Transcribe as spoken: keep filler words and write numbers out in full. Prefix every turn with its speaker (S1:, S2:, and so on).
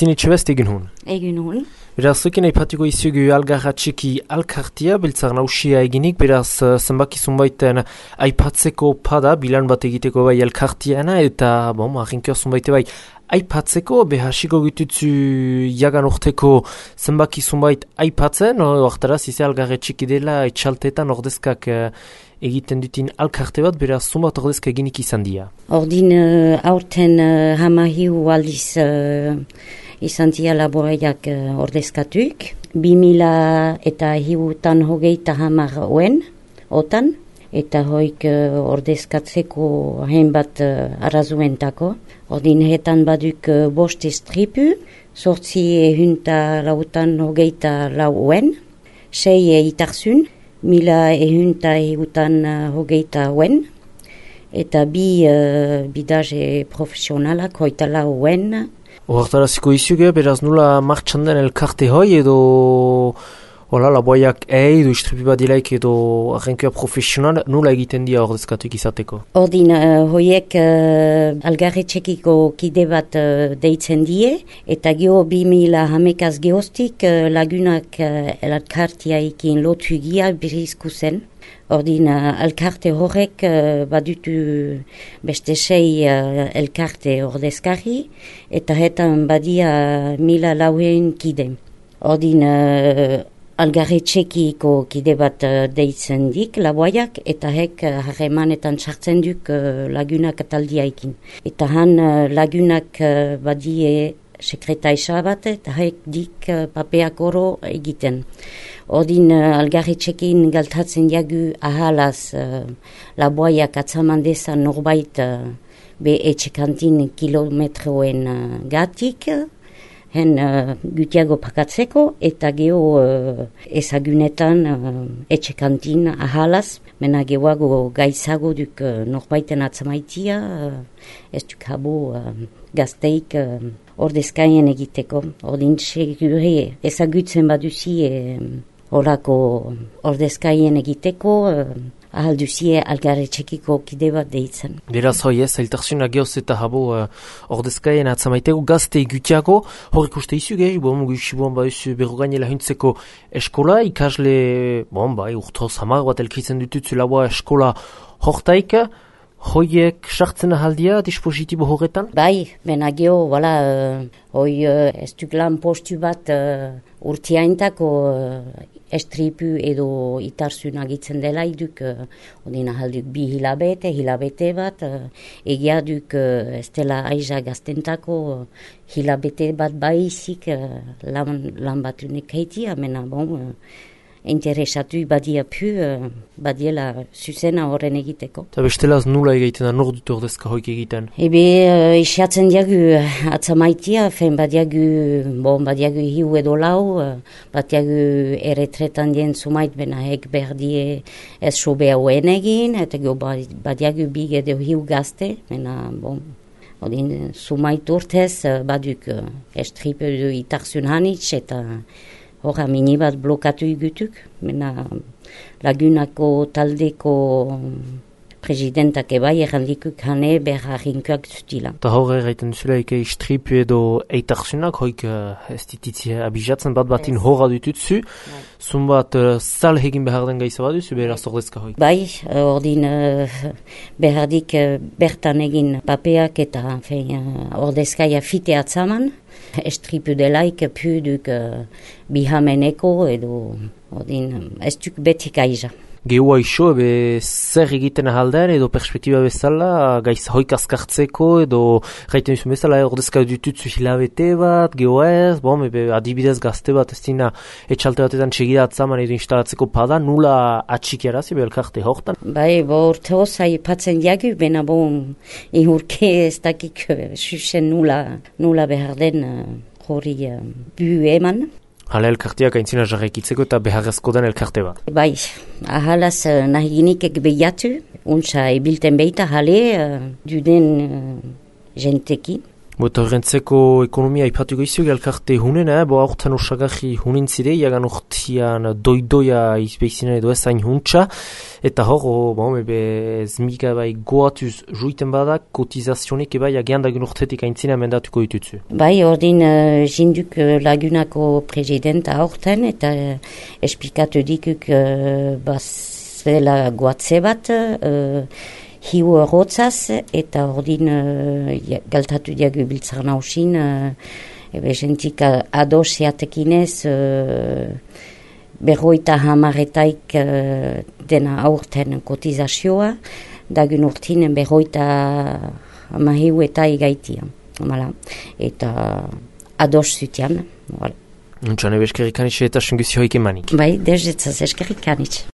S1: Kristine Etxebest egin hon.
S2: Egin hon.
S1: Beraz, zuekin aipatiko izugu algarra txiki alkartia, beltzar nausia eginik, beraz, zenbakizun baiten aipatzeko pada, bilan bat egiteko bai alkartiana, eta, bon, arrinkioa zunbaite bai, aipatzeko, behasiko gututzu jagan urteko zenbakizun bait aipatzen, oartaraz, izan algarra txiki dela, etxaltetan ordezkak egiten dutin alkarte bat, beraz, zunbat ordezka eginik izan dira.
S2: Ordin uh, aurten uh, hamahiu aldiz uh, izan dira laboreiak uh, ordezkatuk. Bi mila eta hiutan hogeita hamar oen, otan, eta hoik uh, ordezkatzeko hainbat uh, arazuentako. Ordin hetan baduk uh, bost estripu, sortzi ehunta lautan hogeita lau oen, sei itarzun, mila ehunta ehutan uh, hogeita oen, eta bi uh, bidaje profesionalak hoita lau oen.
S1: Hortaraziko izuge, beraz nula martxan den elkarte hoi edo hola, laboiak ei, edo istripi badilaik edo arrenkioa profesional, nula egiten dira ordezkatuik izateko?
S2: Ordin, uh, hoiek uh, algarre txekiko kide bat uh, deitzen die, eta geho bi mila hamekaz gehoztik uh, lagunak uh, elkartiaikin lotu gia birizku zen. Ordin, uh, elkarte horrek uh, badutu beste sei uh, elkarte ordezkari, eta hetan badia mila lauen kide. Ordin, uh, algarre txekiko kide bat uh, deitzen dik, laboiak, eta hek uh, harremanetan sartzen duk uh, lagunak ataldiaikin. Eta han uh, lagunak uh, badie sekretaisa bat, eta hek dik uh, papeak oro egiten. Ordin uh, algarre txekin galtatzen jagu ahalaz uh, laboiak atzaman dezan norbait uh, be etxekantin kilometroen uh, gatik, hen uh, gutiago pakatzeko, eta geho uh, ezagunetan uh, etxekantin ahalaz, mena gehoago gaizago duk uh, norbaiten atzamaitia, uh, ez duk habo uh, gazteik uh, ordezkaien egiteko. Ordin segure ezagutzen baduzi uh, horako ordezkaien egiteko, uh, ahal duzie algarre txekiko kide bat deitzen.
S1: Beraz hoi ez, zailtarzuna gehoz eta habo uh, ordezkaien atzamaiteko gazte gutiago, horrek uste izu gehi, bon, guixi bon, ba, izu berrogainela huntzeko eskola, ikasle, bon, ba, urtoz hamar bat elkritzen dututzu laboa eskola hortaik, hoiek sartzen ahaldia dispositibo horretan?
S2: Bai, bena geho, wala, uh, hoi uh, ez duk lan postu bat uh, urtiaintako uh, estripu edo itarzun agitzen dela iduk, uh, odin ahalduk bi hilabete, hilabete bat, uh, egia duk uh, ez dela aiza gaztentako uh, hilabete bat baizik uh, lan, lan bat unik haitia, mena bon, uh, interesatu badia pu, uh, badiela zuzena horren egiteko.
S1: Eta bestelaz nula egiten da, nor dut ordezka hoik egiten?
S2: Ebe, uh, isiatzen diagu atzamaitia, fen badiagu, bon, badiagu hiu edo lau, uh, badiagu erretretan dien sumait benahek berdie ez sobe hauen egin, eta go badiagu big edo hiu gazte, mena, bon, odin sumait urtez, uh, baduk uh, estripe edo itarzun hanitz, eta horra mini bat blokatu igutuk, mena lagunako taldeko presidentak ebai errandikuk hane berra rinkoak zutila.
S1: Eta horre erraiten duzula eke istripu edo eitarzunak, hoik uh, ez dititzia abizatzen bat batin yes. Horra dututzu, zunbat uh, zal hegin behar den gaiza bat duzu, beraz ordezka hoik.
S2: Bai, ordin uh, behardik uh, bertan egin papeak eta fein, uh, ordezkaia fite atzaman, estripu delaik puduk uh, bihameneko edo ordin ez duk betik aiza.
S1: Geua iso, ebe zer egiten ahalden edo perspektiba bezala, gaiz hoik azkartzeko edo gaiten duzu bezala, ordezka dututzu hilabete bat, geua ez, bom, ebe adibidez gazte bat ez dina etxalte batetan txegida atzaman edo instalatzeko pada, nula atxikiarazi, ebe elkarte hortan?
S2: Bai, bo urte hozai patzen diagu, bena bon, ihurke ez dakik susen nula, nula behar den hori uh, bu eman.
S1: Hala elkarteak aintzina jarraikitzeko eta beharrezko den elkarte bat.
S2: Bai, ahalaz uh, nahiginikek behiatu, untsa ebilten behita jale uh, duden uh, jentekin.
S1: Bota horrentzeko ekonomia ipatuko izugu elkarte hunena, bo aurten osagarri hunin zire, iagan urtean doidoia izbeizinen edo ezain huntza, eta hor, bon, ebe zmiga bai goatuz juiten badak, kotizazionik ebai agiandagun urtetik aintzina mendatuko ditutzu.
S2: Bai, ordin uh, jinduk uh, lagunako presidenta aurten, eta uh, esplikatu dikuk uh, bazela goatze bat, uh, hiu errotzaz, eta ordin uh, galtatu diagu biltzar nausin, uh, ebe jentik adosiatekinez, uh, berroita hamaretaik uh, dena aurten kotizazioa, dagun urtin berroita hamahiu eta igaitia. Voilà. Eta ados zutian. Voilà.
S1: Nuntxan ebe eskerrik anitxe eta senguzio hoik emanik.
S2: Bai, dezetzaz eskerrik anitxe.